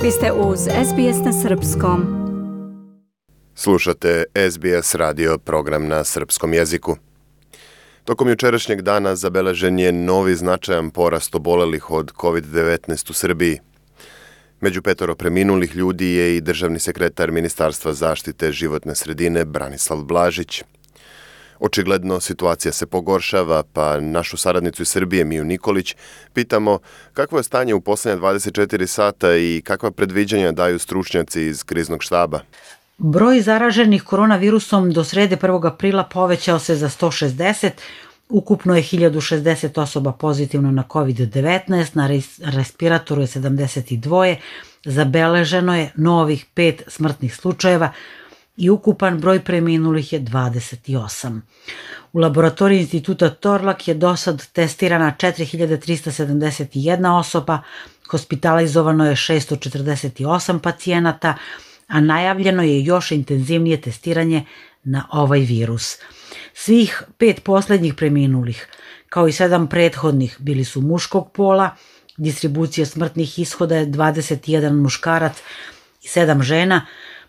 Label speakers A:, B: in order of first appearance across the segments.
A: Vi ste uz SBS na Srpskom.
B: Slušate SBS radio program na srpskom jeziku. Tokom jučerašnjeg dana zabeležen je novi značajan porast obolelih od COVID-19 u Srbiji. Među 5 preminulih ljudi je i državni sekretar Ministarstva zaštite životne sredine Branislav Blažić. Očigledno situacija se pogoršava, pa našu saradnicu iz Srbije Miju Nikolić pitamo kakvo je stanje u posljednja 24 sata i kakva predviđanja daju stručnjaci iz kriznog štaba.
C: Broj zaraženih koronavirusom do srede 1. aprila povećao se za 160, ukupno je 1060 osoba pozitivno na COVID-19, na respiratoru je 72, zabeleženo je novih 5 smrtnih slučajeva i ukupan broj preminulih je 28. U laboratoriji instituta Torlak je dosad testirana 4371 osoba, hospitalizovano je 648 pacijenata, a najavljeno je još intenzivnije testiranje na ovaj virus. Svih 5 posljednjih preminulih, kao i 7 prethodnih, bili su muškog pola, distribucija smrtnih ishoda je 21 muškarac i 7 žena,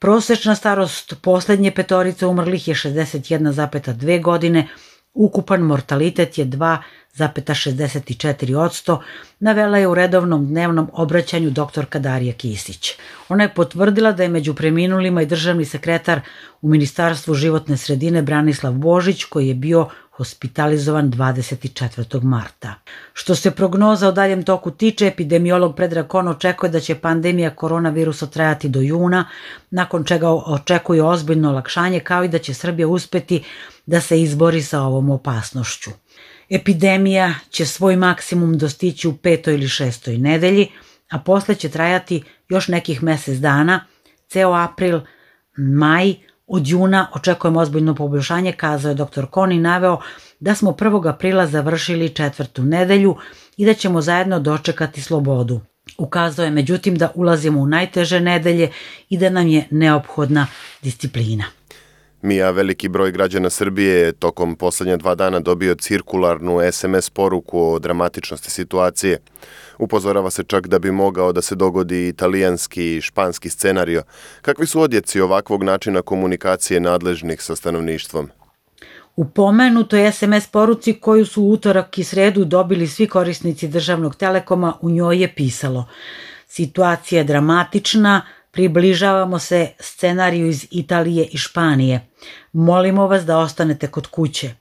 C: prosječna starost posljednje 5 umrlih je 61,2 godine, ukupan mortalitet je 2,64%, navela je u redovnom dnevnom obraćanju doktorka Darija Kisić. Ona je potvrdila da je među preminulima i državni sekretar u Ministarstvu životne sredine Branislav Božić, koji je bio hospitalizovan 24. marta. Što se prognoza o daljem toku tiče, epidemiolog Predrag Kon očekuje da će pandemija koronavirusa trajati do juna, nakon čega očekuje ozbiljno olakšanje, kao i da će Srbija uspeti da se izbori sa ovom opasnošću. Epidemija će svoj maksimum dostići u 5. ili 6. nedelji, a posle će trajati još nekih mjesec dana, ceo april, maj. Od juna očekujemo ozbiljno poboljšanje, kazao je dr. Kon i naveo da smo 1. aprila završili 4. nedelju i da ćemo zajedno dočekati slobodu. Ukazao je međutim da ulazimo u najteže nedelje i da nam je neophodna disciplina.
B: Mija, veliki broj građana Srbije je tokom posljednja 2 dana dobio cirkularnu SMS poruku o dramatičnosti situacije. Upozorava se čak da bi mogao da se dogodi italijanski i španski scenario. Kakvi su odjeci ovakvog načina komunikacije nadležnih sa stanovništvom?
C: U pomenutoj SMS poruci koju su u utorak i sredu dobili svi korisnici državnog telekoma, u njoj je pisalo: situacija je dramatična, približavamo se scenariju iz Italije i Španije. Molimo vas da ostanete kod kuće.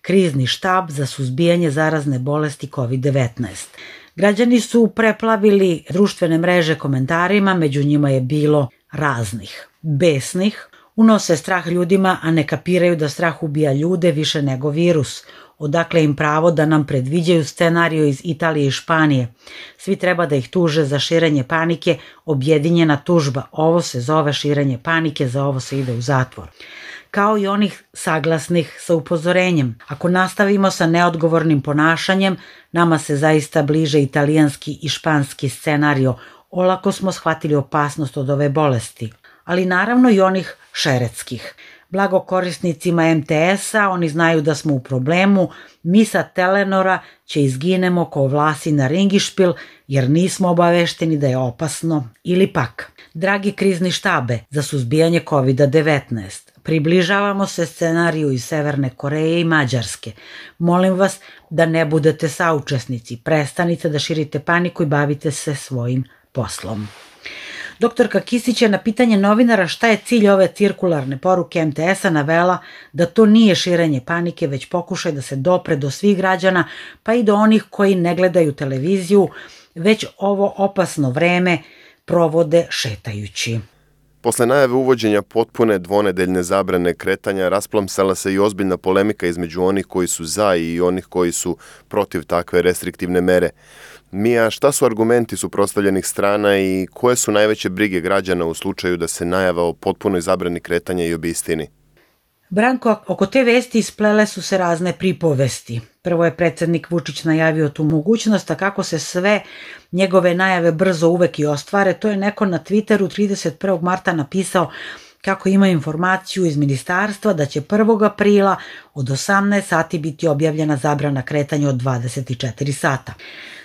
C: Krizni štab za suzbijanje zarazne bolesti COVID-19. Građani su preplavili društvene mreže komentarima, među njima je bilo raznih. Besnih, unose strah ljudima, a ne kapiraju da strah ubija ljude više nego virus. Odakle im pravo da nam predviđaju scenariju iz Italije i Španije. Svi treba da ih tuže za širenje panike, objedinjena tužba. Ovo se zove širenje panike, za ovo se ide u zatvor. Kao i onih saglasnih sa upozorenjem. Ako nastavimo sa neodgovornim ponašanjem, nama se zaista bliže italijanski i španski scenario. Olako smo shvatili opasnost od ove bolesti. Ali naravno i onih šeretskih. Blago korisnicima MTS-a, oni znaju da smo u problemu, mi sa Telenora će izginemo ko vlasi na ringišpil jer nismo obavešteni da je opasno. Ili pak, dragi krizni štabe za suzbijanje COVID-19, približavamo se scenariju iz Severne Koreje i Mađarske. Molim vas da ne budete saučesnici, prestanite da širite paniku i bavite se svojim poslom. Doktorka Kisić je na pitanje novinara šta je cilj ove cirkularne poruke MTS-a navela da to nije širenje panike, već pokušaj da se dopre do svih građana, pa i do onih koji ne gledaju televiziju, već ovo opasno vreme provode šetajući.
B: Posle najave uvođenja potpune dvonedeljne zabrane kretanja rasplamsala se i ozbiljna polemika između onih koji su za i onih koji su protiv takve restriktivne mere. Mija, šta su argumenti suprotstavljenih strana i koje su najveće brige građana u slučaju da se najava o potpunoj zabrani kretanja i obistini?
C: Branko, oko te vesti isplele su se razne pripovesti. Prvo je predsjednik Vučić najavio tu mogućnost, a kako se sve njegove najave brzo uvek i ostvare, to je neko na Twitteru 31. marta napisao kako ima informaciju iz ministarstva da će 1. aprila od 18 sati biti objavljena zabrana kretanja od 24 sata.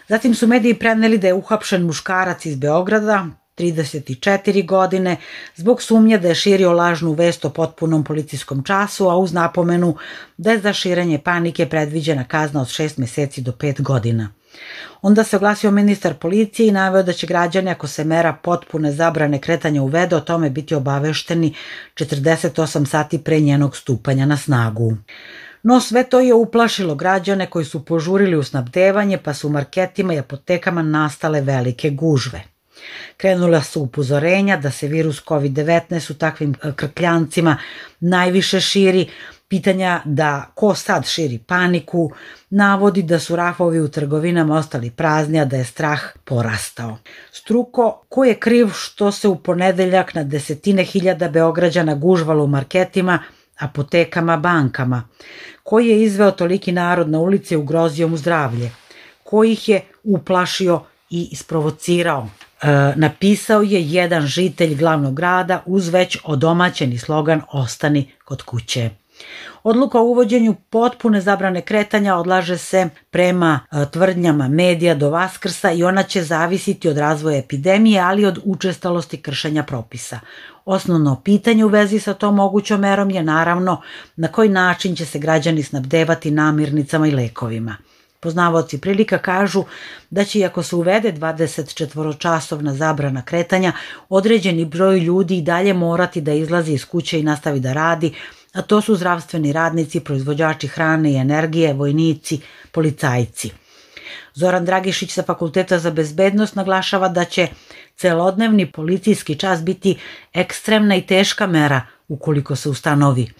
C: Zatim su mediji preneli da je uhapšen muškarac iz Beograda 34 godine, zbog sumnje da je širio lažnu vest o potpunom policijskom času, a uz napomenu da je za širenje panike predviđena kazna od 6 meseci do 5 godina. Onda se oglasio ministar policije i naveo da će građani, ako se mera potpune zabrane kretanja uvede, o tome biti obavešteni 48 sati pre njenog stupanja na snagu. No sve to je uplašilo građane koji su požurili u snabdevanje, pa su u marketima i apotekama nastale velike gužve. Krenula su upozorenja da se virus COVID-19 u takvim krkljancima najviše širi, pitanja da ko sad širi paniku, navodi da su rafovi u trgovinama ostali prazni, a da je strah porastao. Struko, ko je kriv što se u ponedeljak na desetine hiljada Beograđana gužvalo u marketima, apotekama, bankama? Ko je izveo toliki narod na ulici i ugrozio mu zdravlje? Ko ih je uplašio i isprovocirao? Napisao je jedan žitelj glavnog grada uz već odomaćeni slogan "Ostani kod kuće". Odluka o uvođenju potpune zabrane kretanja odlaže se prema tvrdnjama medija do Vaskrsa i ona će zavisiti od razvoja epidemije, ali od učestalosti kršenja propisa. Osnovno pitanje u vezi sa tom mogućom merom je naravno na koji način će se građani snabdevati namirnicama i lekovima. Poznavaoci prilika kažu da će, iako se uvede 24-časovna zabrana kretanja, određeni broj ljudi i dalje morati da izlazi iz kuće i nastavi da radi, a to su zdravstveni radnici, proizvođači hrane i energije, vojnici, policajci. Zoran Dragišić sa Fakulteta za bezbednost naglašava da će celodnevni policijski čas biti ekstremna i teška mera ukoliko se ustanovi.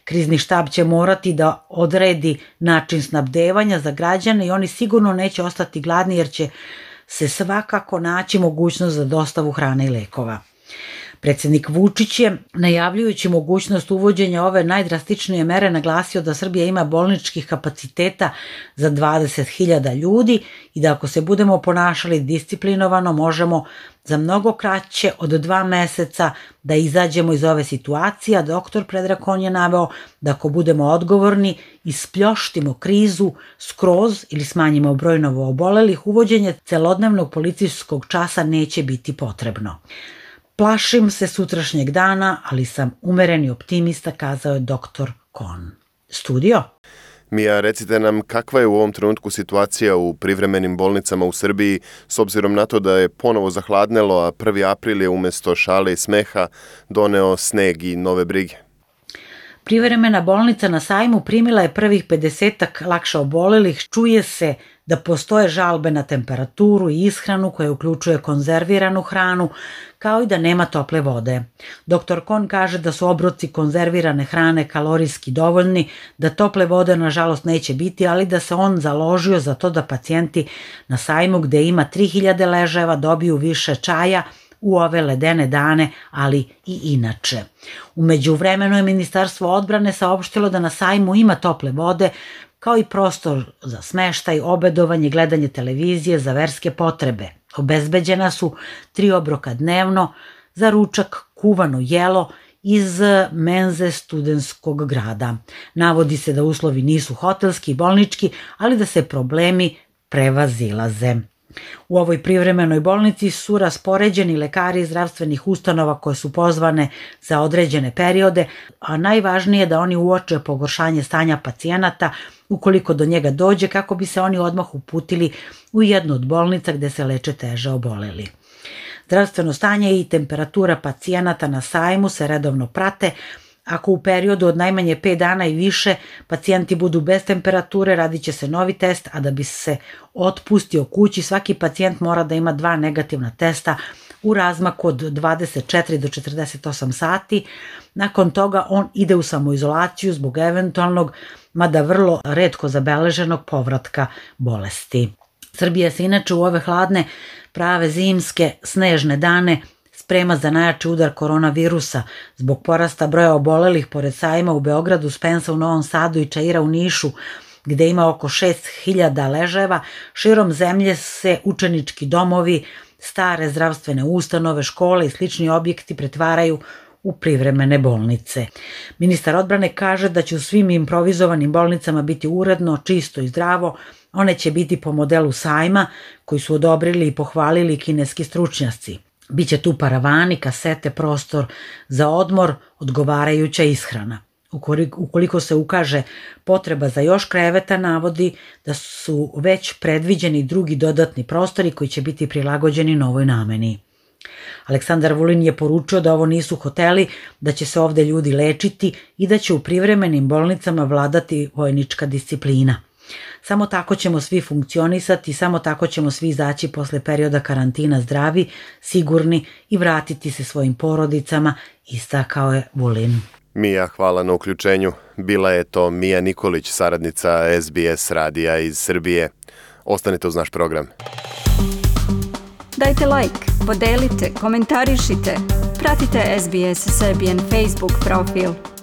C: Krizni štab će morati da odredi način snabdevanja za građane i oni sigurno neće ostati gladni jer će se svakako naći mogućnost za dostavu hrane i lekova. Predsjednik Vučić je, najavljujući mogućnost uvođenja ove najdrastičnije mere, naglasio da Srbija ima bolničkih kapaciteta za 20.000 ljudi i da ako se budemo ponašali disciplinovano možemo za mnogo kraće od 2 meseca da izađemo iz ove situacije, a doktor Predrag Kon je naveo da ako budemo odgovorni i spljoštimo krizu skroz ili smanjimo broj novoobolelih, uvođenje celodnevnog policijskog časa neće biti potrebno. Plašim se sutrašnjeg dana, ali sam umereni optimista, kazao je doktor Kon. Studio?
B: Mija, recite nam kakva je u ovom trenutku situacija u privremenim bolnicama u Srbiji s obzirom na to da je ponovo zahladnelo, a 1. april je umjesto šale i smeha doneo sneg i nove brige.
C: Privremena bolnica na Sajmu primila je prvih 50-ak lakše obolelih. Čuje se da postoje žalbe na temperaturu i ishranu koja uključuje konzerviranu hranu, kao i da nema tople vode. Dr. Kon kaže da su obroci konzervirane hrane kalorijski dovoljni, da tople vode nažalost neće biti, ali da se on založio za to da pacijenti na Sajmu, gde ima 3000 leževa, dobiju više čaja u ove ledene dane, ali i inače. U međuvremenu je Ministarstvo odbrane saopštilo da na Sajmu ima tople vode, kao i prostor za smeštaj, obedovanje, gledanje televizije za verske potrebe. Obezbeđena su 3 obroka dnevno, za ručak kuvano jelo iz menze studentskog grada. Navodi se da uslovi nisu hotelski i bolnički, ali da se problemi prevazilaze. U ovoj privremenoj bolnici su raspoređeni lekari iz zdravstvenih ustanova koje su pozvane za određene periode, a najvažnije je da oni uoče pogoršanje stanja pacijenata ukoliko do njega dođe, kako bi se oni odmah uputili u jednu od bolnica gde se leče teže oboleli. Zdravstveno stanje i temperatura pacijenata na Sajmu se redovno prate. Ako u periodu od najmanje 5 dana i više pacijenti budu bez temperature, radit će se novi test, a da bi se otpustio kući, svaki pacijent mora da ima 2 negativna testa u razmaku od 24 do 48 sati. Nakon toga on ide u samoizolaciju zbog eventualnog, mada vrlo retko zabeleženog povratka bolesti. Srbija se inače u ove hladne, prave zimske, snežne dane sprema za najjači udar koronavirusa zbog porasta broja obolelih pored Sajma u Beogradu, Spensa u Novom Sadu i Čaira u Nišu, gde ima oko 6000 leževa. Širom zemlje se učenički domovi, stare zdravstvene ustanove, škole i slični objekti pretvaraju u privremene bolnice. Ministar odbrane kaže da će u svim improvizovanim bolnicama biti uredno, čisto i zdravo. One će biti po modelu Sajma koji su odobrili i pohvalili kineski stručnjaci. Biće tu paravani, kasete, prostor za odmor, odgovarajuća ishrana. Ukoliko se ukaže potreba za još kreveta, navodi da su već predviđeni drugi dodatni prostori koji će biti prilagođeni novoj nameni. Aleksandar Vulin je poručio da ovo nisu hoteli, da će se ovde ljudi lečiti i da će u privremenim bolnicama vladati vojnička disciplina. Samo tako ćemo svi funkcionisati, samo tako ćemo svi izaći posle perioda karantina zdravi, sigurni i vratiti se svojim porodicama, istakao je Vulin.
B: Mija, hvala na uključenju. Bila je to Mija Nikolić, saradnica SBS radija iz Srbije. Ostanite uz naš program.
A: Dajte like, podelite, komentarišite. Pratite SBS Serbian Facebook profil.